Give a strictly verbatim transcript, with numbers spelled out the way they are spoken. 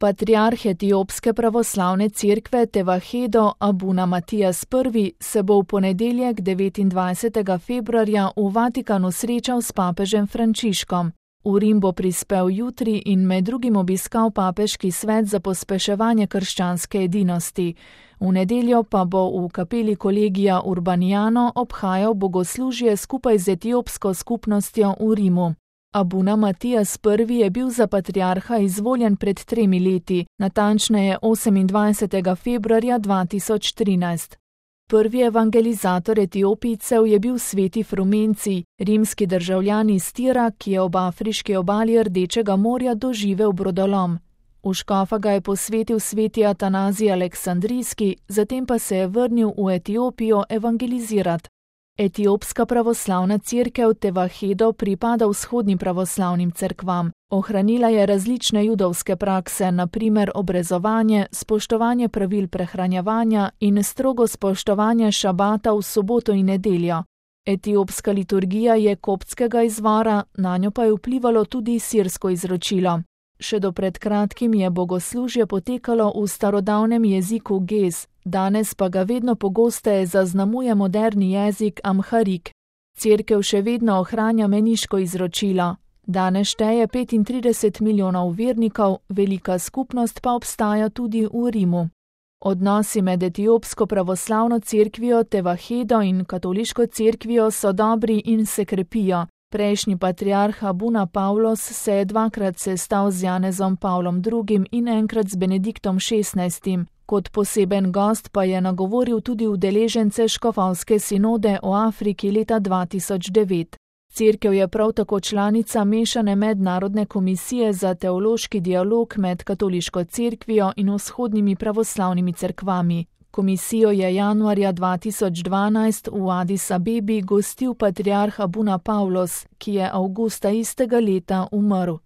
Patriarh etiopske pravoslavne cerkve Tevahedo Abuna Matijas I se bo v ponedeljek devetindvajsetega februarja v Vatikanu srečal s papežem Frančiškom. V Rim bo prispel jutri in med drugim obiskal papeški svet za pospeševanje krščanske edinosti. V nedeljo pa bo v kapeli Kolegija Urbaniano obhajal bogoslužje skupaj z etiopsko skupnostjo v Rimu. Abuna Matijas I je bil za patriarha izvoljen pred tremi leti, natančneje osemindvajsetega februarja dva tisoč trinajst. Prvi evangelizator Etiopijcev je bil sveti Frumenci, rimski državljan iz Tira, ki je ob afriški obali Rdečega morja doživel brodolom. V škofa ga je posvetil sveti Atanazij Aleksandrijski, zatem pa se je vrnil v Etiopijo evangelizirati. Etiopska pravoslavna cerkev Tevahedo pripada vzhodnim pravoslavnim cerkvam. Ohranila je različne judovske prakse, na primer obrezovanje, spoštovanje pravil prehranjevanja in strogo spoštovanje šabata v soboto in nedeljo. Etiopska liturgija je koptskega izvora, nanjo pa je vplivalo tudi sirsko izročilo. Še do pred kratkim je bogoslužje potekalo v starodavnem jeziku Gez, danes pa ga vedno pogosteje zaznamuje moderni jezik Amharik. Cerkev še vedno ohranja meniško izročilo. Danes šteje petintrideset milijonov vernikov, velika skupnost pa obstaja tudi v Rimu. Odnosi med etiopsko pravoslavno cerkvijo Tevahedo in katoliško cerkvijo so dobri in se krepijo. Prejšnji patriarh Abuna Pavlos se je dvakrat sestal z Janezom Pavlom drugim in enkrat z Benediktom šestnajstim. Kot poseben gost pa je nagovoril tudi udeležence škofovske sinode o Afriki leta dva tisoč devet. Cerkev je prav tako članica mešane mednarodne komisije za teološki dialog med katoliško cerkvijo in vzhodnimi pravoslavnimi cerkvami. Komisijo je januarja dva tisoč dvanajst v Adis Abebi gostil patriarh Abuna Pavlos, ki je avgusta istega leta umrl.